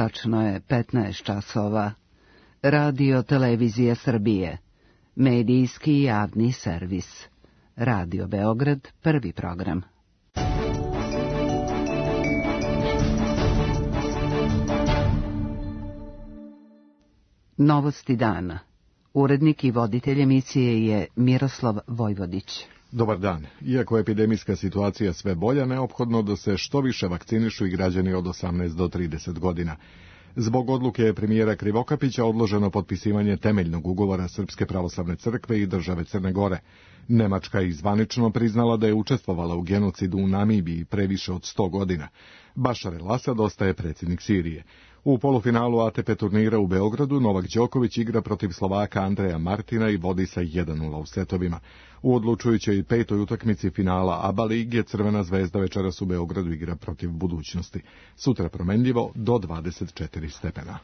Tačno je 15 časova. Radio Televizija Srbije. Medijski javni servis. Radio Beograd, prvi program. Novosti dana. Urednik i voditelj emisije je Miroslav Vojvodić. Dobar dan. Iako je epidemijska situacija sve bolja, neophodno da se što više vakcinišu i građani od 18 do 30 godina. Zbog odluke premijera Krivokapića odloženo potpisivanje temeljnog ugovora Srpske pravoslavne crkve i države Crne Gore. Nemačka je zvanično priznala da je učestvovala u genocidu u Namibiji pre više od 100 godina. Bašar el-Asad ostaje predsjednik Sirije. U polufinalu ATP turnira u Beogradu Novak Đoković igra protiv Slovaka Andreja Martina i vodi sa 1:0 u setovima. U odlučujućoj 5. utakmici finala ABA lige Crvena zvezda večeras u Beogradu igra protiv Budućnosti. Sutra promenljivo do 24 stepena.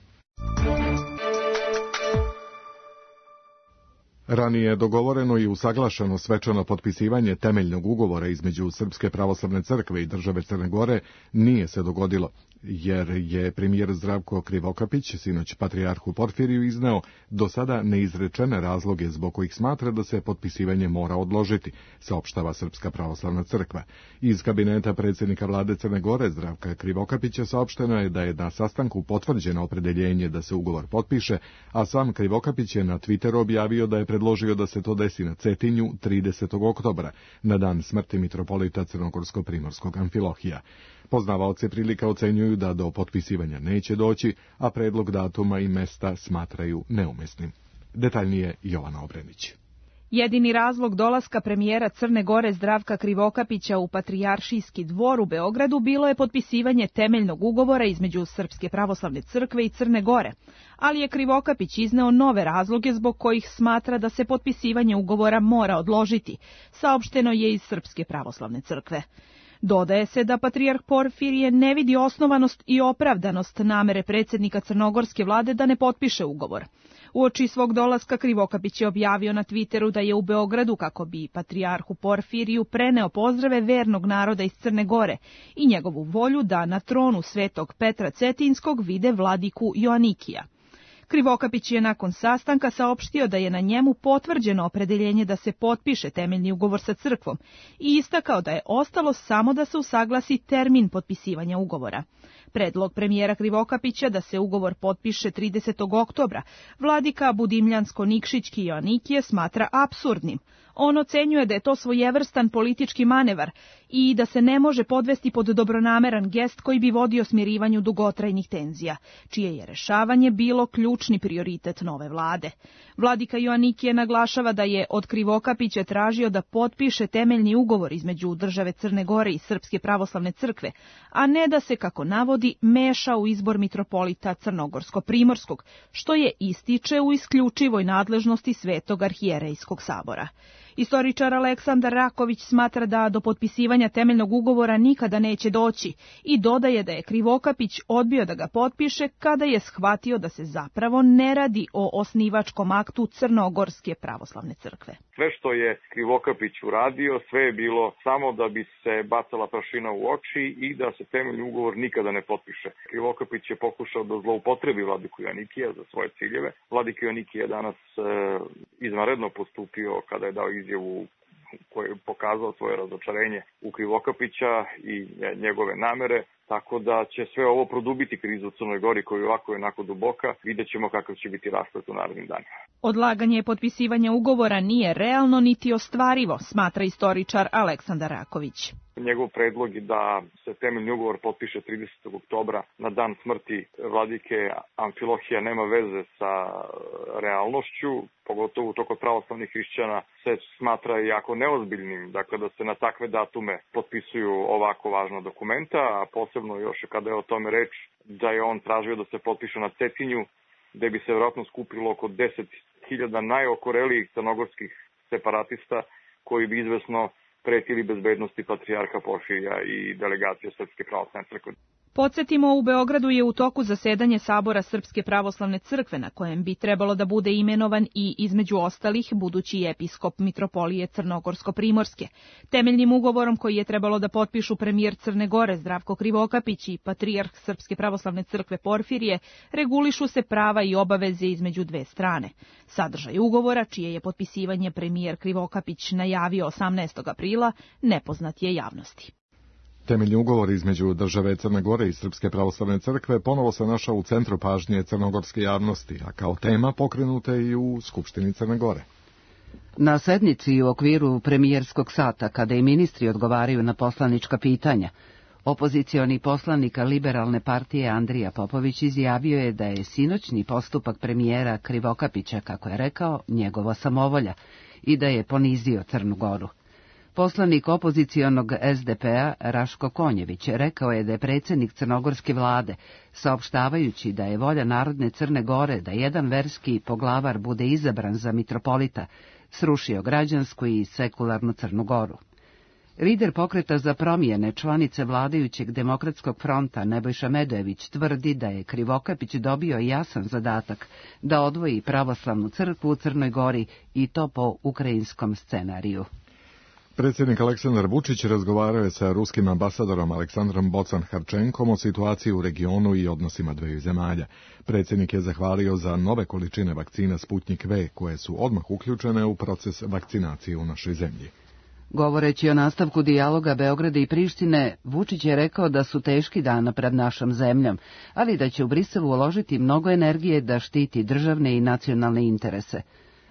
Ranije je dogovoreno i usaglašeno svečano potpisivanje temeljnog ugovora između Srpske pravoslavne crkve i države Crne Gore nije se dogodilo, jer je premijer Zdravko Krivokapić sinoć patrijarhu Porfiriju izneo do sada neizrečene razloge zbog kojih smatra da se potpisivanje mora odložiti, saopštava Srpska pravoslavna crkva. Iz kabineta predsjednika vlade Crne Gore Zdravka Krivokapića saopšteno je da je na sastanku potvrđeno opredeljenje da se ugovor potpiše, a sam Krivokapić je na Twitteru objavio da je predložio da se to desi na Cetinju 30. oktobra, na dan smrti mitropolita Crnogorsko-primorskog Amfilohija. Poznavaoci prilika ocenjuju da do potpisivanja neće doći, a predlog datuma i mesta smatraju neumesnim. Detaljnije Jovana Obrenić. Jedini razlog dolaska premijera Crne Gore Zdravka Krivokapića u Patrijaršijski dvor u Beogradu bilo je potpisivanje temeljnog ugovora između Srpske pravoslavne crkve i Crne Gore, ali je Krivokapić izneo nove razloge zbog kojih smatra da se potpisivanje ugovora mora odložiti, saopšteno je iz Srpske pravoslavne crkve. Dodaje se da patrijarh Porfirije ne vidi osnovanost i opravdanost namere predsjednika crnogorske vlade da ne potpiše ugovor. Uoči svog dolaska Krivokapić je objavio na Twitteru da je u Beogradu kako bi patrijarhu Porfiriju preneo pozdrave vernog naroda iz Crne Gore i njegovu volju da na tronu Svetog Petra Cetinskog vide vladiku Joanikija. Krivokapić je nakon sastanka saopštio da je na njemu potvrđeno opredeljenje da se potpiše temeljni ugovor sa crkvom i istakao da je ostalo samo da se usaglasi termin potpisivanja ugovora. Predlog premijera Krivokapića da se ugovor potpiše 30. oktobra vladika Budimljansko-Nikšićki Joanikije smatra apsurdnim. On ocenjuje da je to svojevrstan politički manevar i da se ne može podvesti pod dobronameran gest koji bi vodio smirivanju dugotrajnih tenzija, čije je rešavanje bilo ključni prioritet nove vlade. Vladika Joanikije naglašava da je od Krivokapića tražio da potpiše temeljni ugovor između države Crne Gore i Srpske pravoslavne crkve, a ne da se, kako navodi, meša u izbor mitropolita Crnogorsko-primorskog, što je ističe u isključivoj nadležnosti Svetog arhijerejskog sabora. Istoričar Aleksandar Raković smatra da do potpisivanja temeljnog ugovora nikada neće doći i dodaje da je Krivokapić odbio da ga potpiše kada je shvatio da se zapravo ne radi o osnivačkom aktu Crnogorske pravoslavne crkve. Sve što je Krivokapić uradio, sve je bilo samo da bi se bacala prašina u oči i da se temeljni ugovor nikada ne potpiše. Krivokapić je pokušao da zloupotrebi vladiku Joanikija za svoje ciljeve. Vladika Joanikije je danas izvanredno postupio kada je dao izjavu koji je pokazao svoje razočarenje u Krivokapića i njegove namere, tako da će sve ovo produbiti krizu u Crnoj Gori koja je ovako onako duboka. Vidjet ćemo kakav će biti rasplet u narednim danima. Odlaganje potpisivanja ugovora nije realno niti ostvarivo, smatra istoričar Aleksandar Raković. Njegov predlog je da se temeljni ugovor potpiše 30. oktobra na dan smrti vladike Amfilohija nema veze sa realnošću, pogotovo to kod pravoslavnih hrišćana se smatra jako neozbiljnim, dakle da se na takve datume potpisuju ovako važna dokumenta, a posebno još kada je o tome reč da je on tražio da se potpiše na Cetinju, gde bi se vjerojatno skupilo oko 10.000 najokorelijih crnogorskih separatista koji bi izvesno pretili bezbednosti patrijarha Porfirija i delegacije Srpske pravoslavne crkve. Podsjetimo, u Beogradu je u toku zasedanje Sabora Srpske pravoslavne crkve, na kojem bi trebalo da bude imenovan i, između ostalih, budući episkop mitropolije Crnogorsko-Primorske. Temeljnim ugovorom koji je trebalo da potpišu premijer Crne Gore Zdravko Krivokapić i patrijarh Srpske pravoslavne crkve Porfirije regulišu se prava i obaveze između dve strane. Sadržaj ugovora, čije je potpisivanje premijer Krivokapić najavio 18. aprila, nepoznat je javnosti. Temeljni ugovor između države Crne Gore i Srpske pravoslavne crkve ponovo se našao u centru pažnje crnogorske javnosti, a kao tema pokrenuta i u Skupštini Crne Gore. Na sednici u okviru premijerskog sata, kada i ministri odgovaraju na poslanička pitanja, opozicioni poslanik Liberalne partije Andrija Popović izjavio je da je sinoćni postupak premijera Krivokapića, kako je rekao, njegova samovolja i da je ponizio Crnu Goru. Poslanik opozicionog SDP-a Raško Konjević rekao je da je predsjednik crnogorske vlade, saopštavajući da je volja Narodne Crne Gore da jedan verski poglavar bude izabran za mitropolita, srušio građansku i sekularnu Crnu Goru. Lider pokreta za promjene, članice vladajućeg Demokratskog fronta Nebojša Medojević tvrdi da je Krivokapić dobio jasan zadatak da odvoji pravoslavnu crkvu u Crnoj Gori i to po ukrajinskom scenariju. Predsjednik Aleksandar Vučić razgovarao je sa ruskim ambasadorom Aleksandrom Bocan-Harčenkom o situaciji u regionu i odnosima dveju zemalja. Predsjednik je zahvalio za nove količine vakcina Sputnik V, koje su odmah uključene u proces vakcinacije u našoj zemlji. Govoreći o nastavku dijaloga Beograda i Prištine, Vučić je rekao da su teški dana pred našom zemljom, ali da će u Briselu uložiti mnogo energije da štiti državne i nacionalne interese.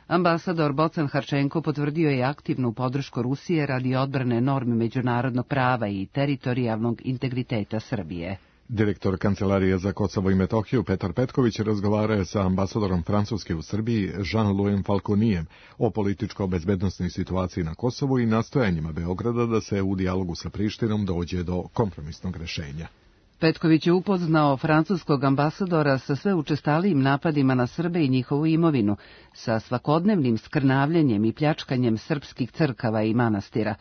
Ambasador Bocan-Harčenko potvrdio je aktivnu podršku Rusije radi odbrane normi međunarodnog prava i teritorijalnog integriteta Srbije. Direktor Kancelarije za Kosovo i Metohiju Petar Petković razgovarao je sa ambasadorom Francuske u Srbiji Jean-Louis Falconijem o političko-bezbednosnoj situaciji na Kosovu i nastojanjima Beograda da se u dijalogu sa Prištinom dođe do kompromisnog rješenja. Petković je upoznao francuskog ambasadora sa sve učestalijim napadima na Srbe i njihovu imovinu, sa svakodnevnim skrnavljenjem i pljačkanjem srpskih crkava i manastira.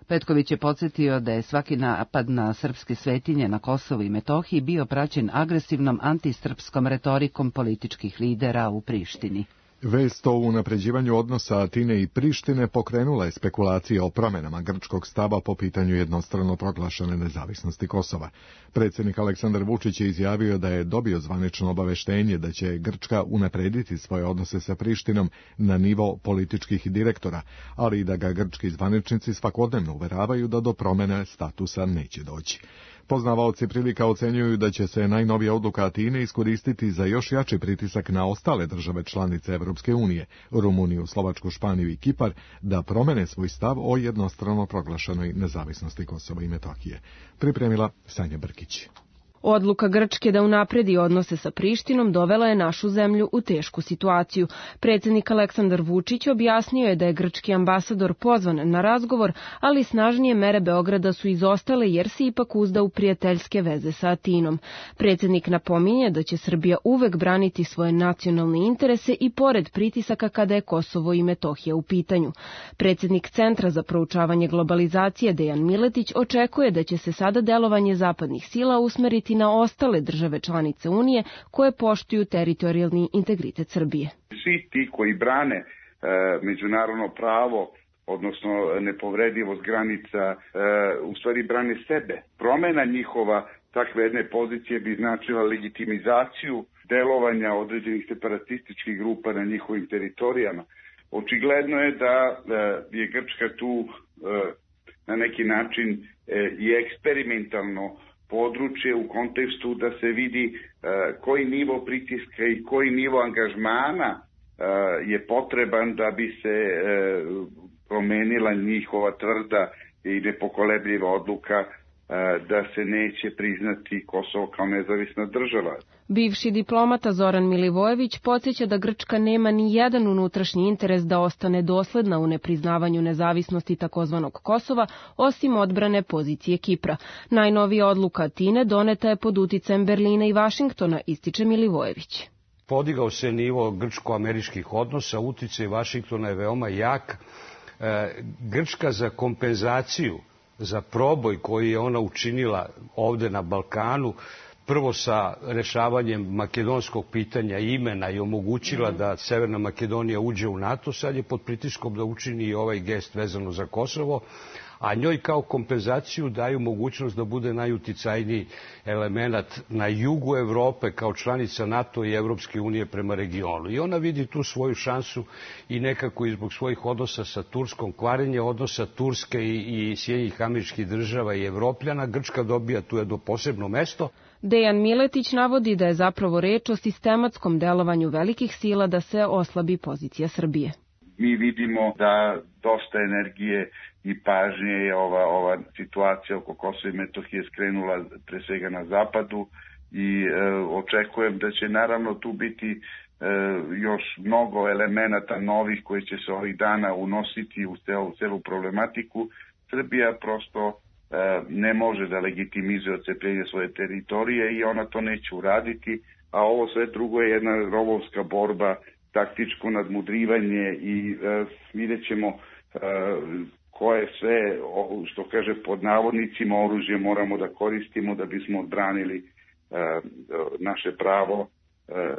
Petković je podsjetio da je svaki napad na srpske svetinje na Kosovu i Metohiji bio praćen agresivnom antisrpskom retorikom političkih lidera u Prištini. Vest o unapređivanju odnosa Atine i Prištine pokrenula je spekulacije o promjenama grčkog stava po pitanju jednostrano proglašene nezavisnosti Kosova. Predsjednik Aleksandar Vučić je izjavio da je dobio zvanično obaveštenje da će Grčka unaprediti svoje odnose sa Prištinom na nivo političkih direktora, ali i da ga grčki zvaničnici svakodnevno uveravaju da do promjene statusa neće doći. Poznavaoci prilika ocenjuju da će se najnovija odluka Atine iskoristiti za još jači pritisak na ostale države članice Evropske unije, Rumuniju, Slovačku, Španiju i Kipar, da promene svoj stav o jednostrano proglašenoj nezavisnosti Kosova i Metohije. Pripremila Sanja Brkić. Odluka Grčke da unapredi odnose sa Prištinom dovela je našu zemlju u tešku situaciju. Predsjednik Aleksandar Vučić objasnio je da je grčki ambasador pozvan na razgovor, ali snažnije mere Beograda su izostale jer se ipak uzda u prijateljske veze sa Atinom. Predsjednik napominje da će Srbija uvek braniti svoje nacionalne interese i pored pritisaka kada je Kosovo i Metohija u pitanju. Predsjednik Centra za proučavanje globalizacije Dejan Miletić očekuje da će se sada delovanje zapadnih sila usmeriti na ostale države članice Unije koje poštuju teritorijalni integritet Srbije. Svi ti koji brane međunarodno pravo, odnosno nepovredivost granica, u stvari brane sebe. Promjena njihova takve jedne pozicije bi značila legitimizaciju delovanja određenih separatističkih grupa na njihovim teritorijama. Očigledno je da je Grčka tu na neki način i eksperimentalno područje u kontekstu da se vidi koji nivo pritiska i koji nivo angažmana je potreban da bi se promenila njihova tvrda i nepokolebljiva odluka da se neće priznati Kosovo kao nezavisna država. Bivši diplomata Zoran Milivojević podsjeća da Grčka nema ni jedan unutrašnji interes da ostane dosledna u nepriznavanju nezavisnosti takozvanog Kosova, osim odbrane pozicije Kipra. Najnovija odluka Atine doneta je pod uticajem Berlina i Vašingtona, ističe Milivojević. Podigao se nivo grčko-američkih odnosa, uticaj Vašingtona je veoma jak. Grčka za kompenzaciju za proboj koji je ona učinila ovde na Balkanu prvo sa rešavanjem makedonskog pitanja imena i omogućila da Severna Makedonija uđe u NATO, sad je pod pritiskom da učini i ovaj gest vezano za Kosovo, a njoj kao kompenzaciju daju mogućnost da bude najuticajniji element na jugu Evrope kao članica NATO i Evropske unije prema regionu. I ona vidi tu svoju šansu i nekako i zbog svojih odnosa sa Turskom, kvarenje odnosa Turske i Sjedinjenih Američkih Država i Evropljana. Grčka dobija tu jedno posebno mesto. Dejan Miletić navodi da je zapravo reč o sistematskom delovanju velikih sila da se oslabi pozicija Srbije. Mi vidimo da dosta energije i pažnje je ova situacija oko Kosova i Metohije skrenula pre svega na zapadu i očekujem da će naravno tu biti još mnogo elemenata novih koji će se ovih dana unositi u celu problematiku. Srbija prosto ne može da legitimizuje odcepljenje svoje teritorije i ona to neće uraditi, a ovo sve drugo je jedna rovovska borba, taktičko nadmudrivanje i vidjet ćemo koje sve, što kaže pod navodnicima, oružje moramo da koristimo da bismo odbranili naše pravo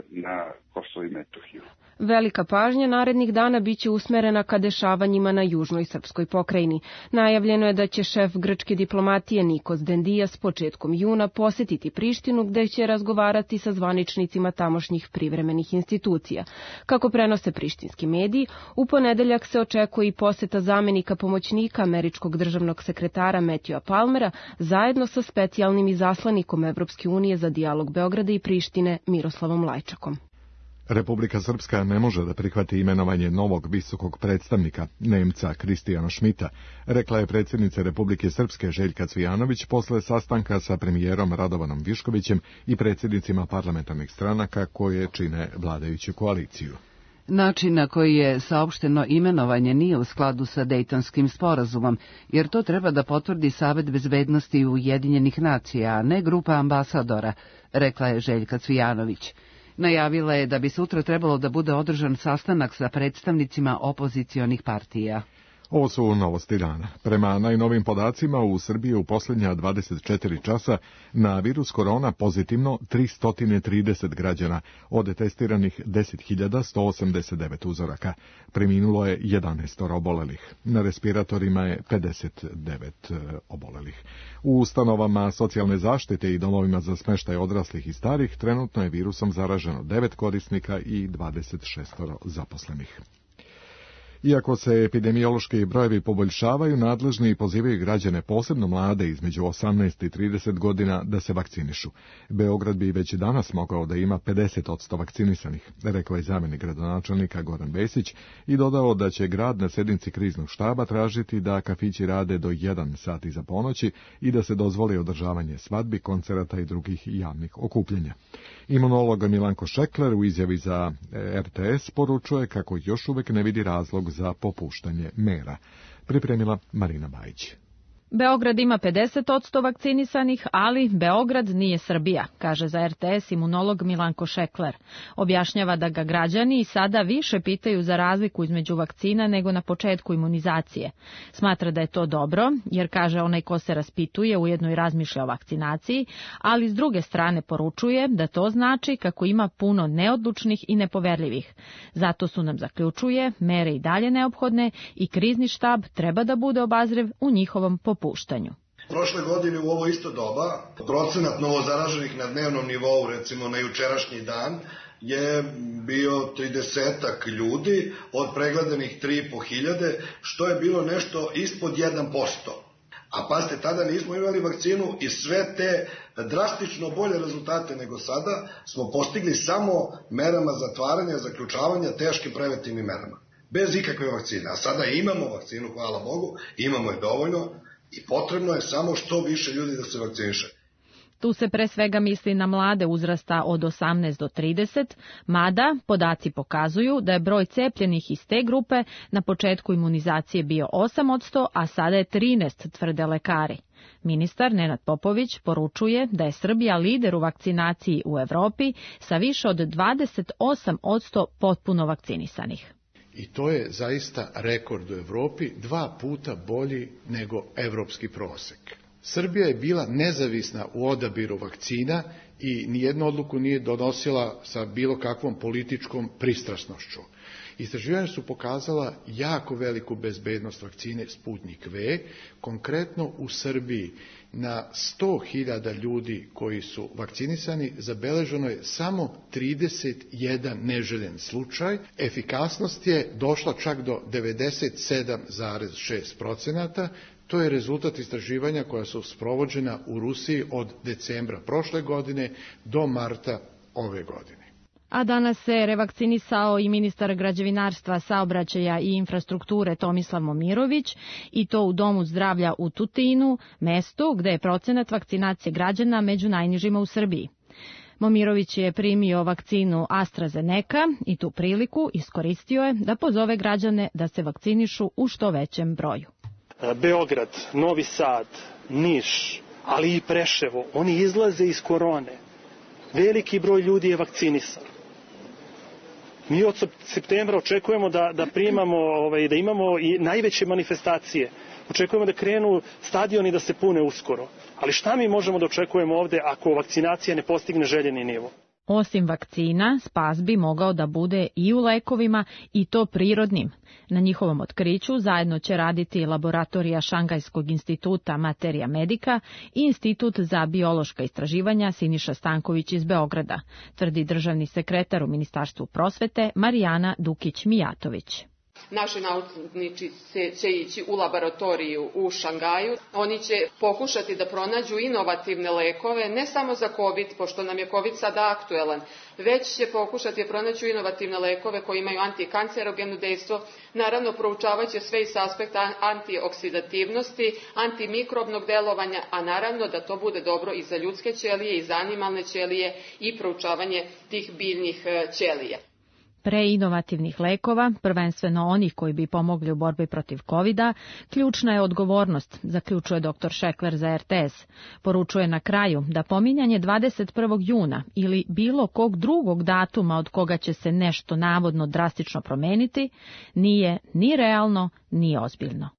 na Kosovo i Metohiju. Velika pažnja narednih dana biće usmerena ka dešavanjima na južnoj srpskoj pokrajini. Najavljeno je da će šef grčke diplomatije Nikos Dendias početkom juna posetiti Prištinu, gde će razgovarati sa zvaničnicima tamošnjih privremenih institucija. Kako prenose prištinski mediji, u ponedeljak se očekuje i poseta zamenika pomoćnika američkog državnog sekretara Matthewa Palmera zajedno sa specijalnim izaslanikom Evropske unije za dijalog Beograda i Prištine Miroslavom Lajčakom. Republika Srpska ne može da prihvati imenovanje novog visokog predstavnika, Nemca Kristijana Šmita, rekla je predsjednica Republike Srpske Željka Cvijanović posle sastanka sa premijerom Radovanom Viškovićem i predsjednicima parlamentarnih stranaka koje čine vladajuću koaliciju. Način na koji je saopšteno imenovanje nije u skladu sa Dejtonskim sporazumom, jer to treba da potvrdi Savet bezbednosti Ujedinjenih nacija, a ne grupa ambasadora, rekla je Željka Cvijanović. Najavila je da bi sutra trebalo da bude održan sastanak sa predstavnicima opozicionih partija. Ovo su novosti dana. Prema najnovim podacima u Srbiji u posljednja 24 časa na virus korona pozitivno 330 građana, od testiranih 10.189 uzoraka. Preminulo je 11 obolelih. Na respiratorima je 59 obolelih. U ustanovama socijalne zaštite i domovima za smještaj odraslih i starih trenutno je virusom zaraženo 9 korisnika i 26 zaposlenih. Iako se epidemiološki brojevi poboljšavaju, nadležni pozivaju građane, posebno mlade između 18 i 30 godina, da se vakcinišu. Beograd bi već danas mogao da ima 50% vakcinisanih, rekao je zamjenik gradonačelnika Goran Vesić i dodao da će grad na sjednici kriznog štaba tražiti da kafići rade do 1 sat iza ponoći i da se dozvoli održavanje svadbi, koncerata i drugih javnih okupljanja. Imunolog Milanko Šekler u izjavi za RTS poručuje kako još uvek ne vidi razlog za popuštanje mera. Pripremila Marina Bajić. Beograd ima 50% vakcinisanih, ali Beograd nije Srbija, kaže za RTS imunolog Milanko Šekler. Objašnjava da ga građani i sada više pitaju za razliku između vakcina nego na početku imunizacije. Smatra da je to dobro, jer kaže onaj ko se raspituje ujedno i razmišlja o vakcinaciji, ali s druge strane poručuje da to znači kako ima puno neodlučnih i nepoverljivih. Zato su nam, zaključuje, mere i dalje neophodne i krizni štab treba da bude obazriv u njihovom popuštanju. Prošle godine u ovo isto doba procenat novozaraženih na dnevnom nivou, recimo na jučerašnji dan, je bio 30 ljudi od pregledanih 3.500, što je bilo nešto ispod 1%. A pazite, tada nismo imali vakcinu i sve te drastično bolje rezultate nego sada smo postigli samo merama zatvaranja, zaključavanja, teškim preventivnim merama. Bez ikakve vakcine. A sada imamo vakcinu, hvala Bogu, imamo je dovoljno i potrebno je samo što više ljudi da se vakciniše. Tu se pre svega misli na mlade uzrasta od 18 do 30, mada podaci pokazuju da je broj cepljenih iz te grupe na početku imunizacije bio 8%, a sada je 13, tvrde lekari. Ministar Nenad Popović poručuje da je Srbija lider u vakcinaciji u Evropi sa više od 28% potpuno vakcinisanih. I to je zaista rekord u Evropi, 2 puta bolji nego evropski prosek. Srbija je bila nezavisna u odabiru vakcina i nijednu odluku nije donosila sa bilo kakvom političkom pristrasnošću. Istraživanja su pokazala jako veliku bezbednost vakcine Sputnik V. Konkretno u Srbiji na 100.000 ljudi koji su vakcinisani zabeleženo je samo 31 neželjen slučaj. Efikasnost je došla čak do 97,6%. To je rezultat istraživanja koja su sprovođena u Rusiji od decembra prošle godine do marta ove godine. A danas se revakcinisao i ministar građevinarstva, saobraćaja i infrastrukture Tomislav Momirović, i to u Domu zdravlja u Tutinu, mestu gde je procenat vakcinacije građana među najnižima u Srbiji. Momirović je primio vakcinu AstraZeneca i tu priliku iskoristio je da pozove građane da se vakcinišu u što većem broju. Beograd, Novi Sad, Niš, ali i Preševo, oni izlaze iz korone. Veliki broj ljudi je vakcinisan. Mi od septembra očekujemo da primamo, da imamo i najveće manifestacije. Očekujemo da krenu stadioni da se pune uskoro. Ali šta mi možemo da očekujemo ovde ako vakcinacija ne postigne željeni nivo? Osim vakcina, spas bi mogao da bude i u lekovima, i to prirodnim. Na njihovom otkriću zajedno će raditi laboratorija Šangajskog instituta Materia Medica i Institut za biološka istraživanja Siniša Stanković iz Beograda, tvrdi državni sekretar u Ministarstvu prosvete Marijana Dukić-Mijatović. Naši naučnici će ići u laboratoriju u Šangaju. Oni će pokušati da pronađu inovativne lekove, ne samo za COVID, pošto nam je COVID sada aktuelan, već će pokušati da pronađu inovativne lekove koji imaju antikancerogeno dejstvo. Naravno, proučavaće sve iz aspekta antioksidativnosti, antimikrobnog delovanja, a naravno da to bude dobro i za ljudske ćelije, i za animalne ćelije i proučavanje tih biljnih ćelija. Pre inovativnih lekova, prvenstveno onih koji bi pomogli u borbi protiv COVID-a, ključna je odgovornost, zaključuje dr. Šekler za RTS. Poručuje na kraju da pominjanje 21. juna ili bilo kog drugog datuma od koga će se nešto navodno drastično promeniti, nije ni realno, ni ozbiljno.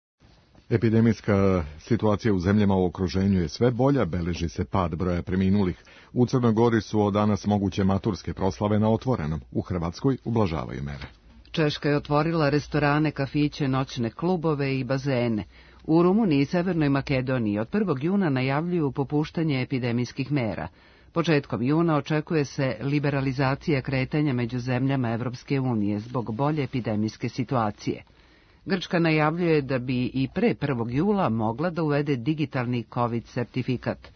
Epidemijska situacija u zemljama u okruženju je sve bolja, beleži se pad broja preminulih. U Crnoj Gori su od danas moguće maturske proslave na otvorenom. U Hrvatskoj ublažavaju mere. Češka je otvorila restorane, kafiće, noćne klubove i bazene. U Rumuniji i Severnoj Makedoniji od 1. juna najavljuju popuštanje epidemijskih mera. Početkom juna očekuje se liberalizacija kretanja među zemljama Evropske unije zbog bolje epidemijske situacije. Grčka najavljuje da bi i pre 1. jula mogla da uvede digitalni COVID sertifikat.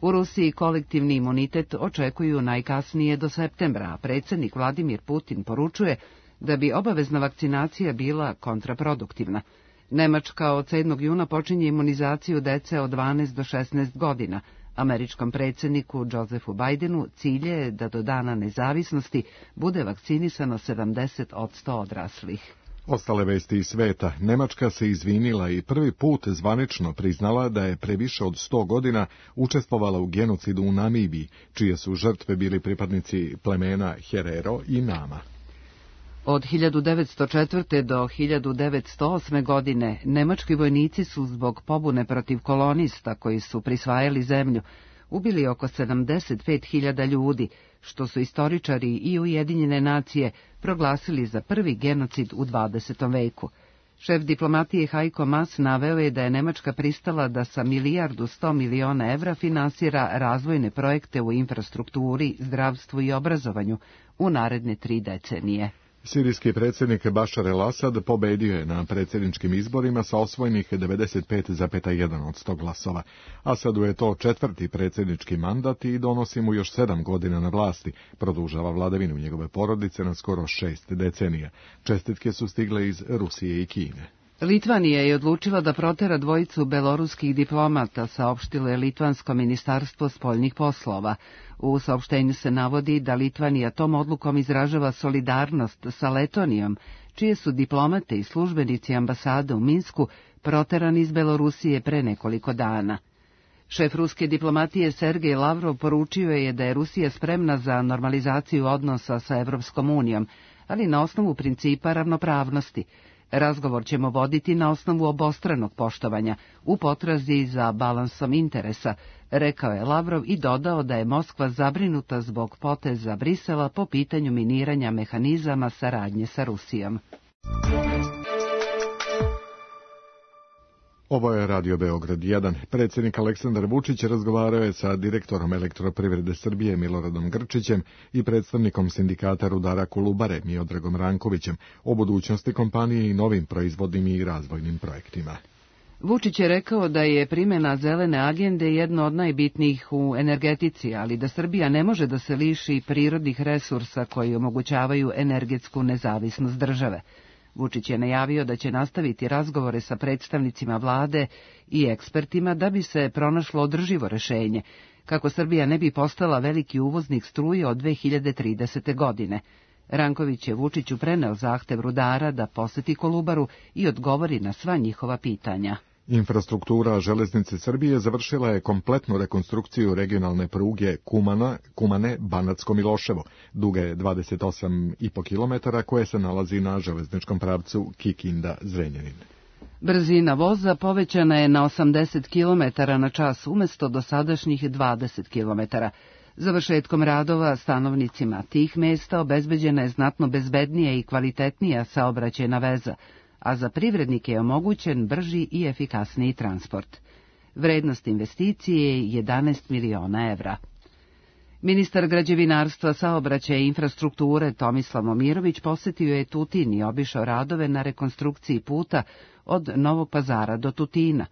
U Rusiji kolektivni imunitet očekuju najkasnije do septembra, a predsjednik Vladimir Putin poručuje da bi obavezna vakcinacija bila kontraproduktivna. Nemačka od 7. juna počinje imunizaciju dece od 12 do 16 godina. Američkom predsjedniku Josephu Bidenu cilj je da do dana nezavisnosti bude vakcinisano 70% odraslih. Ostale vesti iz sveta. Nemačka se izvinila i prvi put zvanično priznala da je pre više od 100 godina učestvovala u genocidu u Namibiji, čije su žrtve bili pripadnici plemena Herero i Nama. Od 1904. do 1908. godine nemački vojnici su zbog pobune protiv kolonista koji su prisvajali zemlju ubili oko 75.000 ljudi, što su istoričari i Ujedinjene nacije proglasili za prvi genocid u 20. veku. Šef diplomatije Heiko Maas naveo je da je Nemačka pristala da sa 1.100 miliona evra finansira razvojne projekte u infrastrukturi, zdravstvu i obrazovanju u naredne 3 decenije. Sirijski predsjednik Bašar el-Asad pobedio je na predsjedničkim izborima sa osvojenih 95,1% glasova. Asadu je to 4. predsjednički mandat i donosi mu još 7 godina na vlasti, produžava vladavinu njegove porodice na skoro 6 decenija. Čestitke su stigle iz Rusije i Kine. Litvanija je odlučila da protera dvojicu beloruskih diplomata, saopštilo je Litvansko ministarstvo spoljnih poslova. U saopštenju se navodi da Litvanija tom odlukom izražava solidarnost sa Letonijom, čije su diplomate i službenici ambasade u Minsku proterani iz Belorusije pre nekoliko dana. Šef ruske diplomatije Sergej Lavrov poručio je da je Rusija spremna za normalizaciju odnosa sa Evropskom unijom, ali na osnovu principa ravnopravnosti. Razgovor ćemo voditi na osnovu obostranog poštovanja, u potrazi za balansom interesa, rekao je Lavrov i dodao da je Moskva zabrinuta zbog poteza Brisela po pitanju miniranja mehanizama saradnje sa Rusijom. Ovo je Radio Beograd 1. Predsjednik Aleksandar Vučić razgovarao je sa direktorom Elektroprivrede Srbije Miloradom Grčićem i predstavnikom sindikata rudara Kolubare Miodragom Rankovićem o budućnosti kompanije i novim proizvodnim i razvojnim projektima. Vučić je rekao da je primjena zelene agende jedno od najbitnijih u energetici, ali da Srbija ne može da se liši prirodnih resursa koji omogućavaju energetsku nezavisnost države. Vučić je najavio da će nastaviti razgovore sa predstavnicima vlade i ekspertima da bi se pronašlo održivo rešenje, kako Srbija ne bi postala veliki uvoznik struje od 2030. godine. Ranković je Vučiću preneo zahtev rudara da poseti Kolubaru i odgovori na sva njihova pitanja. Infrastruktura železnice Srbije završila je kompletnu rekonstrukciju regionalne pruge Kumane-Banatsko-Miloševo, duge 28,5 km, koje se nalazi na železničkom pravcu Kikinda-Zrenjanin. Brzina voza povećana je na 80 km na čas umjesto dosadašnjih 20 km. Završetkom radova stanovnicima tih mesta obezbeđena je znatno bezbednija i kvalitetnija saobraćajna veza, a za privrednike je omogućen brži i efikasniji transport. Vrednost investicije je 11 miliona evra. Ministar građevinarstva, saobraćaja i infrastrukture Tomislav Momirović posjetio je Tutin i obišao radove na rekonstrukciji puta od Novog Pazara do Tutina.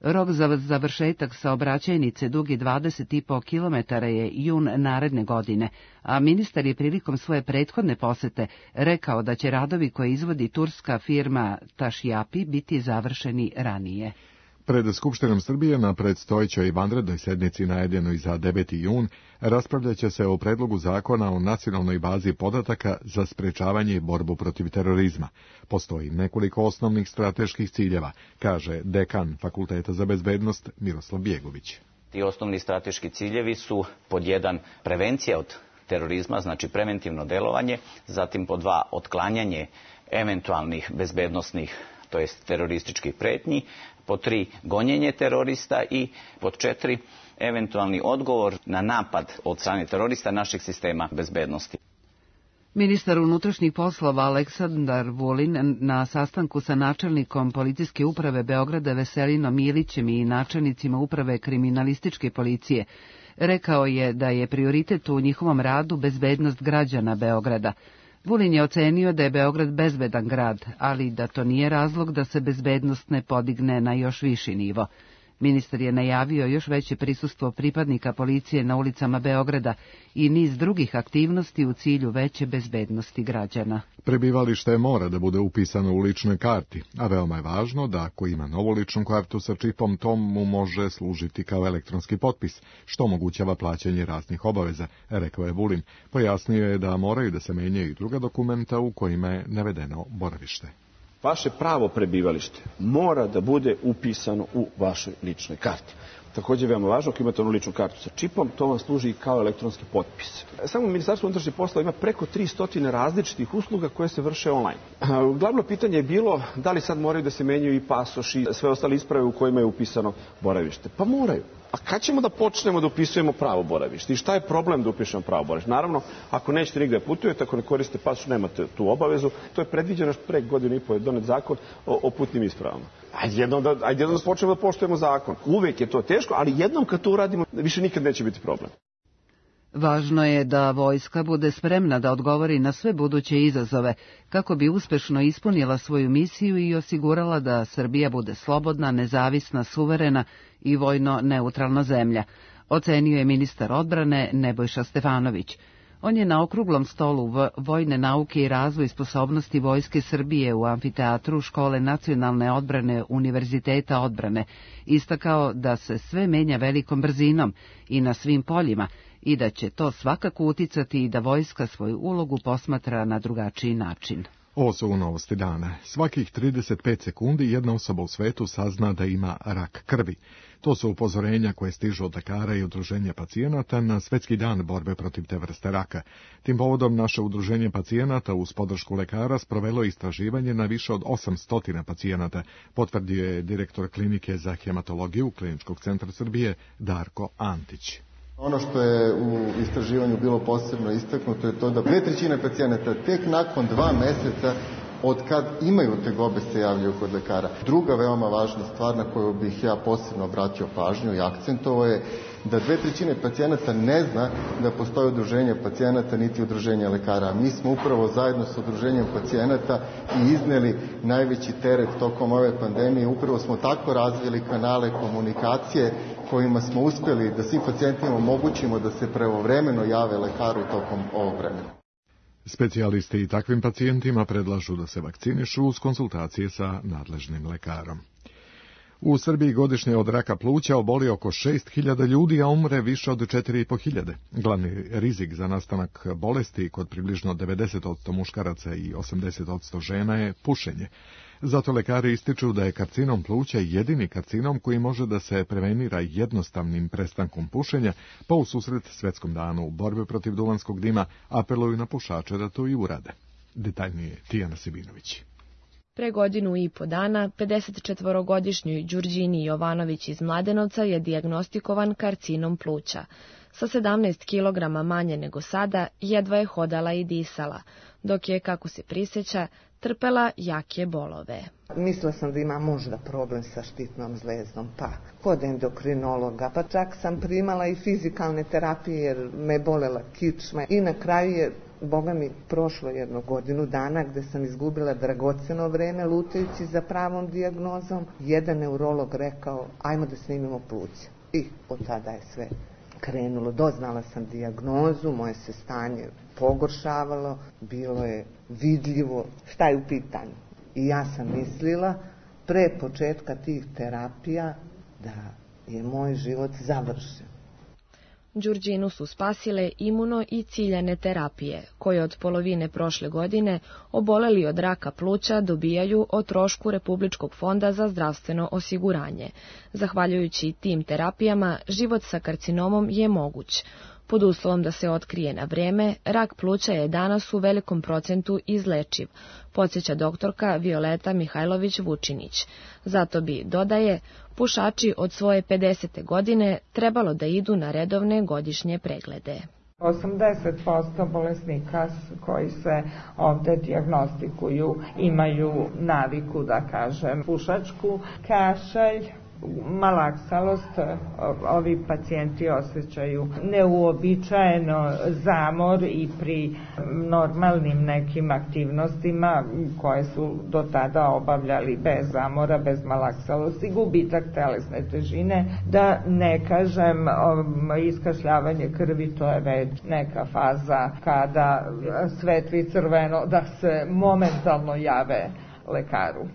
Rok za završetak saobraćajnice dugi 20,5 km je jun naredne godine, a ministar je prilikom svoje prethodne posete rekao da će radovi koje izvodi turska firma Tašjapi biti završeni ranije. Pred Skupštinom Srbije na predstojećoj vanrednoj sednici najavljenoj za 9. jun raspravljaće se o predlogu zakona o nacionalnoj bazi podataka za sprečavanje i borbu protiv terorizma. Postoji nekoliko osnovnih strateških ciljeva, kaže dekan Fakulteta za bezbednost Miroslav Bjegović. Ti osnovni strateški ciljevi su pod 1 prevencija od terorizma, znači preventivno delovanje, zatim pod 2 otklanjanje eventualnih bezbednosnih, to jest terorističkih pretnji, pod 3 gonjenje terorista i pod 4 eventualni odgovor na napad od strane terorista našeg sistema bezbednosti. Ministar unutrašnjih poslova Aleksandar Vulin na sastanku sa načelnikom policijske uprave Beograda Veselinom Milićem i načelnicima uprave kriminalističke policije rekao je da je prioritet u njihovom radu bezbednost građana Beograda. Vulin je ocenio da je Beograd bezbedan grad, ali da to nije razlog da se bezbednost ne podigne na još viši nivo. Ministar je najavio još veće prisustvo pripadnika policije na ulicama Beograda i niz drugih aktivnosti u cilju veće bezbednosti građana. Prebivalište mora da bude upisano u ličnoj karti, a veoma je važno da ako ima novu ličnu kartu sa čipom, to mu može služiti kao elektronski potpis, što omogućava plaćanje raznih obaveza, rekao je Vulin. Pojasnio je da moraju da se menjaju i druga dokumenta u kojima je navedeno boravište. Vaše pravo prebivalište mora da bude upisano u vašoj ličnoj karti. Također je veoma važno, ako imate onu ličnu kartu sa čipom, to vam služi kao elektronski potpis. Samo Ministarstvo unutrašnjih poslova ima preko 300 različitih usluga koje se vrše online. Glavno pitanje je bilo da li sad moraju da se menjaju i pasoš i sve ostale isprave u kojima je upisano boravište. Pa moraju. A kad ćemo da počnemo da upisujemo pravo boravište? I šta je problem da upišemo pravo boravište? Naravno, ako nećete nigde putujete, ako ne koriste pasoš, nemate tu obavezu. To je predviđeno pre godinu i po je donet zakon o putnim ispravama. Ajde jednom da počnemo da poštujemo zakon. Uvek je to teško, ali jednom kad to uradimo, više nikad neće biti problem. Važno je da vojska bude spremna da odgovori na sve buduće izazove, kako bi uspešno ispunila svoju misiju i osigurala da Srbija bude slobodna, nezavisna, suverena i vojno neutralna zemlja, ocenio je ministar odbrane Nebojša Stefanović. On je na okruglom stolu vojne nauke i razvoj sposobnosti Vojske Srbije u amfiteatru Škole nacionalne odbrane Univerziteta odbrane istakao da se sve menja velikom brzinom i na svim poljima i da će to svakako uticati i da vojska svoju ulogu posmatra na drugačiji način. Ovo su novosti dana. Svakih 35 sekundi jedna osoba u svetu sazna da ima rak krvi. To su upozorenja koje stižu od lekara i udruženja pacijenata na Svetski dan borbe protiv te vrste raka. Tim povodom naše udruženje pacijenata uz podršku lekara sprovelo istraživanje na više od 800 pacijenata, potvrdio je direktor klinike za hematologiju Kliničkog centra Srbije Darko Antić. Ono što je u istraživanju bilo posebno istaknuto je to da 2/3 pacijenata tek nakon 2 meseca od kad imaju tegobe se javljaju kod lekara. Druga veoma važna stvar na koju bih ja posebno obratio pažnju i akcentovao je da 2/3 pacijenata ne zna da postoje udruženje pacijenata niti udruženje lekara. Mi smo upravo zajedno sa udruženjem pacijenata i izneli najveći teret tokom ove pandemije. Upravo smo tako razvili kanale komunikacije kojima smo uspjeli da svim pacijentima omogućimo da se pravovremeno jave lekaru tokom ovog vremena. Specijalisti i takvim pacijentima predlažu da se vakcinišu uz konsultacije sa nadležnim lekarom. U Srbiji godišnje od raka pluća oboli oko 6.000 ljudi, a umre više od 4.500. Glavni rizik za nastanak bolesti kod približno 90% muškaraca i 80% žena je pušenje. Zato lekari ističu da je karcinom pluća jedini karcinom koji može da se prevenira jednostavnim prestankom pušenja, pa u susret Svetskom danu borbe protiv duvanskog dima apeluju na pušače da to i urade. Detaljnije Tijana Sibinović. Pre 1,5 dana 54-godišnjoj Đurđini Jovanović iz Mladenovca je dijagnostikovan karcinom pluća. Sa 17 kilograma manje nego sada, jedva je hodala i disala, dok je, kako se prisjeća, trpela jake bolove. Mislila sam da ima možda problem sa štitnom zvezdom, pa kod endokrinologa, pa čak sam primala i fizikalne terapije jer me bolela kičma i na kraju je, Boga mi, prošlo 1 godinu dana gde sam izgubila dragoceno vreme lutajući za pravom dijagnozom. Jedan neurolog rekao, ajmo da snimimo pluća. I od tada je sve krenulo. Doznala sam dijagnozu, moje se stanje pogoršavalo, bilo je vidljivo šta je u pitanju. I ja sam mislila pre početka tih terapija da je moj život završen. Đurđinu su spasile imuno i ciljane terapije, koje od polovine prošle godine oboleli od raka pluća dobijaju o trošku Republičkog fonda za zdravstveno osiguranje. Zahvaljujući tim terapijama, život sa karcinomom je moguć. Pod uslovom da se otkrije na vreme, rak pluća je danas u velikom procentu izlečiv, podsjeća doktorka Violeta Mihajlović-Vučinić. Zato bi, dodaje, pušači od svoje 50. godine trebalo da idu na redovne godišnje preglede. 80% bolesnika koji se ovde dijagnostikuju imaju naviku, da kažem, pušačku, kašalj, malaksalost. Ovi pacijenti osjećaju neuobičajeno zamor i pri normalnim nekim aktivnostima koje su do tada obavljali bez zamora, bez malaksalosti, gubitak telesne težine, da ne kažem iskašljavanje krvi, to je već neka faza kada svetli crveno da se momentalno jave lekaru.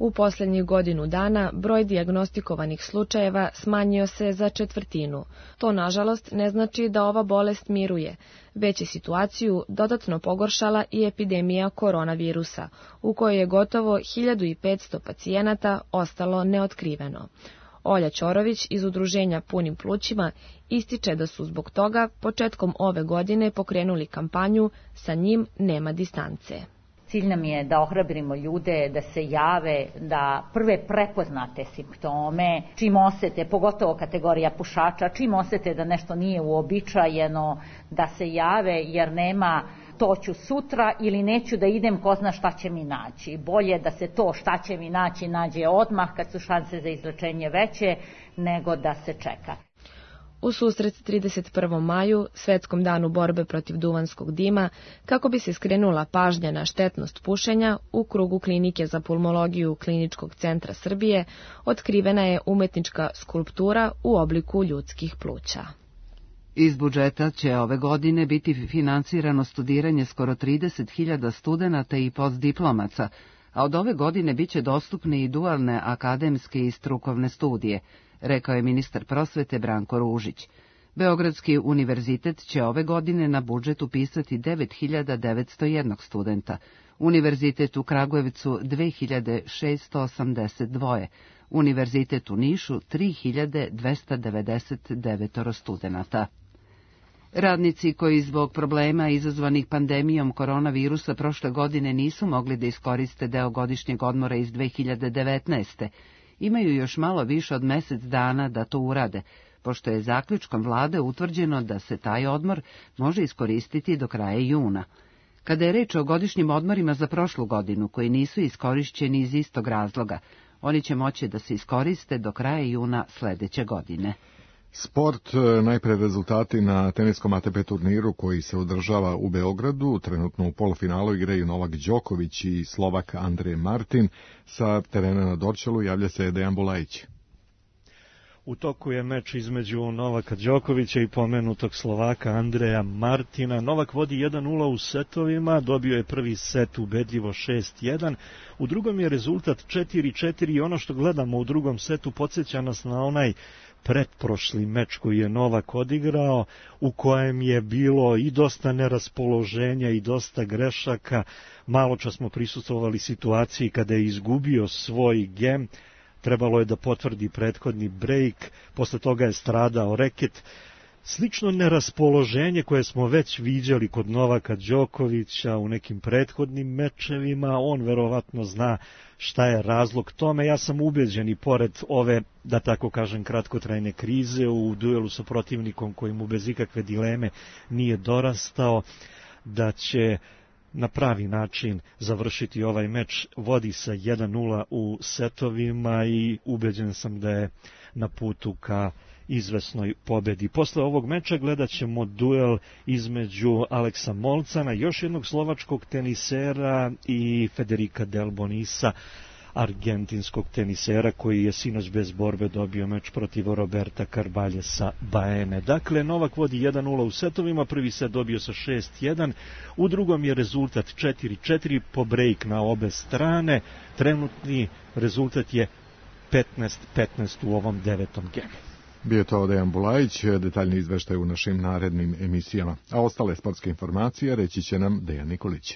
U posljednjih godinu dana broj dijagnostikovanih slučajeva smanjio se za 1/4. To, nažalost, ne znači da ova bolest miruje, već je situaciju dodatno pogoršala i epidemija koronavirusa, u kojoj je gotovo 1500 pacijenata ostalo neotkriveno. Olja Ćorović iz udruženja Punim plućima ističe da su zbog toga početkom ove godine pokrenuli kampanju Sa njim nema distance. Cilj nam je da ohrabrimo ljude, da se jave, da prve prepoznate simptome, čim osete, pogotovo kategorija pušača, čim osete da nešto nije uobičajeno, da se jave jer nema to ću sutra ili neću da idem, ko zna šta će mi naći. Bolje da se to šta će mi naći nađe odmah kad su šanse za izlečenje veće nego da se čeka. U susret 31. maju, Svetskom danu borbe protiv duvanskog dima, kako bi se skrenula pažnja na štetnost pušenja, u krugu Klinike za pulmologiju Kliničkog centra Srbije otkrivena je umetnička skulptura u obliku ljudskih pluća. Iz budžeta će ove godine biti finansirano studiranje skoro 30.000 studenata i postdiplomaca, a od ove godine biće dostupne i dualne akademske i strukovne studije, rekao je ministar prosvete Branko Ružić. Beogradski univerzitet će ove godine na budžet upisati 9.901 studenta. Univerzitet u Kragujevcu 2682, Univerzitet u Nišu 3299 studenata. Radnici koji zbog problema izazvanih pandemijom koronavirusa prošle godine nisu mogli da iskoriste deo godišnjeg odmora iz 2019. imaju još malo više od mesec dana da to urade, pošto je zaključkom vlade utvrđeno da se taj odmor može iskoristiti do kraja juna. Kada je reč o godišnjim odmorima za prošlu godinu, koji nisu iskorišćeni iz istog razloga, oni će moći da se iskoriste do kraja juna sledeće godine. Sport, najpre rezultati na teniskom ATP turniru koji se održava u Beogradu. Trenutno u polufinalu igraju Novak Đoković i Slovak Andrej Martin. Sa terena na Dorćolu javlja se Dejan Bulajić. U toku je meč između Novaka Đokovića i pomenutog Slovaka Andreja Martina. Novak vodi 1-0 u setovima, dobio je prvi set ubedljivo 6-1. U drugom je rezultat 4-4 i ono što gledamo u drugom setu podsjeća nas na onaj pretprošli meč koji je Novak odigrao, u kojem je bilo i dosta neraspoloženja i dosta grešaka. Maločas smo prisustvovali situaciji kada je izgubio svoj gem, trebalo je da potvrdi prethodni brejk, posle toga je stradao reket. Slično neraspoloženje koje smo već viđali kod Novaka Đokovića u nekim prethodnim mečevima, on verovatno zna šta je razlog tome. Ja sam ubeđen i pored ove, da tako kažem, kratkotrajne krize u duelu sa protivnikom koji mu bez ikakve dileme nije dorastao, da će na pravi način završiti ovaj meč. Vodi sa 1-0 u setovima i ubeđen sam da je na putu ka izvesnoj pobedi. Posle ovog meča gledat ćemo duel između Aleksa Molcana, još jednog slovačkog tenisera, i Federica Del Bonisa, argentinskog tenisera koji je sinoć bez borbe dobio meč protiv Roberta Carbaljesa Baene. Dakle, Novak vodi 1-0 u setovima, prvi set dobio sa 6-1, u drugom je rezultat 4-4 po break na obe strane. Trenutni rezultat je 15-15 u ovom devetom gemu. Bio to Dejan Bulajić, detaljni izveštaj u našim narednim emisijama. A ostale sportske informacije reći će nam Dejan Nikolić.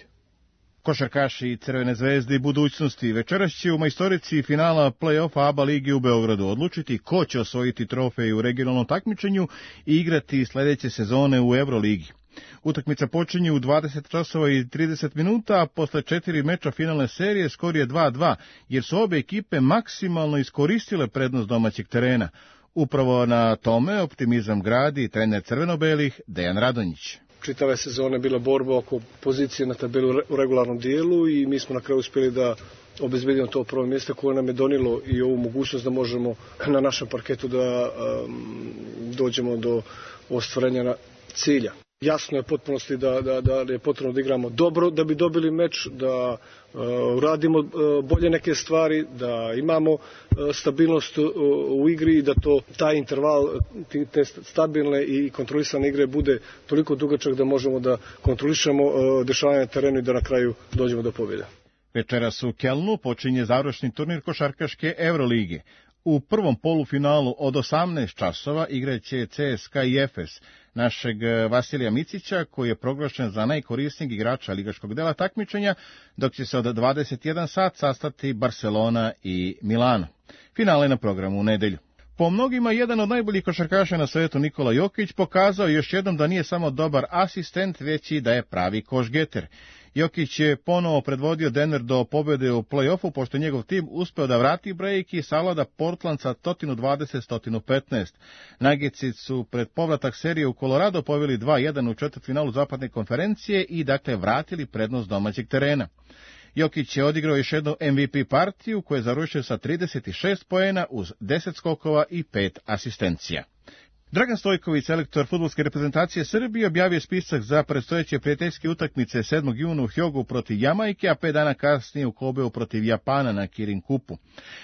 Košarkaši Crvene zvezde i budućnosti večeras će u majstorici finala play-offa ABA ligi u Beogradu odlučiti ko će osvojiti trofej u regionalnom takmičenju i igrati sledeće sezone u Euroligi. Utakmica počinje u 20 časova i 30 minuta, a posle 4 meča finalne serije skor je 2-2, jer su obe ekipe maksimalno iskoristile prednost domaćeg terena. Upravo na tome optimizam gradi trener crveno-belih Dejan Radonjić. Čitave sezone bila borba oko pozicije na tabelu u regularnom dijelu i mi smo na kraju uspjeli da obezbedimo to prvo mjesto koje nam je donilo i ovu mogućnost da možemo na našem parketu da dođemo do ostvarenja cilja. Jasno je potpunosti da je potrebno da igramo dobro da bi dobili meč, da uradimo bolje neke stvari, da imamo stabilnost u igri i da taj interval, te stabilne i kontrolisane igre bude toliko dugačak da možemo da kontrolišemo dešavanje na terenu i da na kraju dođemo do pobjede. Večeras u Kelnu počinje završni turnir košarkaške Evrolige. U prvom polufinalu od 18 časova igraće CSKA i Efes, našeg Vasilija Micića, koji je proglašen za najkorisnijeg igrača ligaškog dela takmičenja, dok će se od 21 sat sastati Barcelona i Milano. Finale na programu u nedelju. Po mnogima, jedan od najboljih košarkaša na svetu, Nikola Jokić, pokazao još jednom da nije samo dobar asistent, već i da je pravi košgeter. Jokić je ponovo predvodio Denver do pobjede u play-offu, pošto je njegov tim uspeo da vrati break i savlada Portland sa 120-115. Nuggetsi su pred povratak serije u Colorado poveli 2-1 u četvrtfinalu zapadne konferencije i dakle vratili prednost domaćeg terena. Jokić je odigrao još jednu MVP partiju koju je završio sa 36 poena uz 10 skokova i 5 asistencija. Dragan Stojković, selektor fudbalske reprezentacije Srbije, objavio spisak za predstojeće prijateljske utakmice 7. juna u Hjogu protiv Jamajke, a 5 dana kasnije u Kobeu protiv Japana na Kirin Kupu.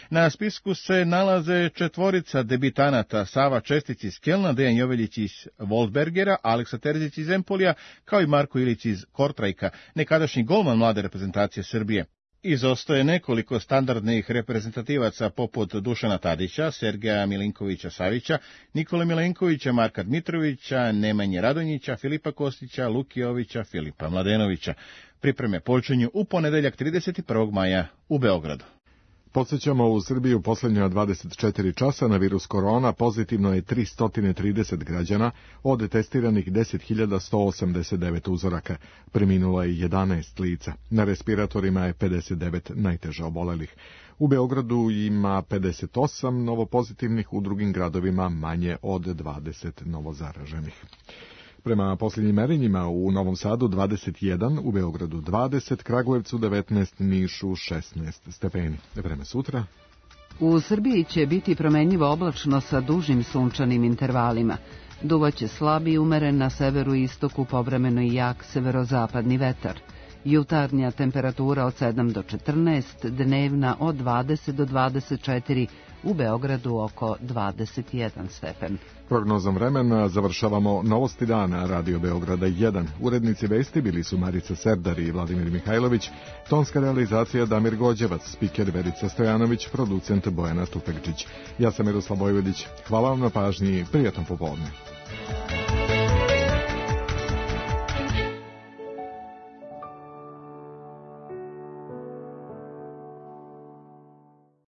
Na spisku se nalaze četvorica debitanata: Sava Čestić iz Kelna, Dejan Joveljić iz Wolfsbergera, Aleksa Terzić iz Empolija, kao i Marko Ilić iz Kortrajka, nekadašnji golman mlade reprezentacije Srbije. Izostaje nekoliko standardnih reprezentativaca poput Dušana Tadića, Sergeja Milinkovića-Savića, Nikole Milenkovića, Marka Dmitrovića, Nemanje Radonjića, Filipa Kostića, Luki Jovića, Filipa Mladenovića. Pripreme počinju u ponedeljak 31. maja u Beogradu. Podsjećamo, u Srbiji u posljednja 24 časa na virus korona pozitivno je 330 građana od testiranih 10.189 uzoraka. Preminulo je 11 lica. Na respiratorima je 59 najteže obolelih. U Beogradu ima 58 novopozitivnih, u drugim gradovima manje od 20 novozaraženih. Prema posljednjim merenjima u Novom Sadu 21, u Beogradu 20, Kragujevcu 19, Nišu 16 stepeni. Vreme sutra. U Srbiji će biti promenljivo oblačno sa dužim sunčanim intervalima. Duvaće slab i umeren na severu i istoku, povremeno i jak severozapadni vetar. Jutarnja temperatura od 7 do 14, dnevna od 20 do 24, u Beogradu oko 21 stepen. Prognozom vremena završavamo Novosti dana Radio Beograda 1. Urednici vesti bili su Marica Serdar i Vladimir Mihajlović, tonska realizacija Damir Gođevac, spiker Verica Stojanović, producent Bojana Stupekčić. Ja sam Miroslav Vojvodić. Hvala vam na pažnji, prijatno popodne.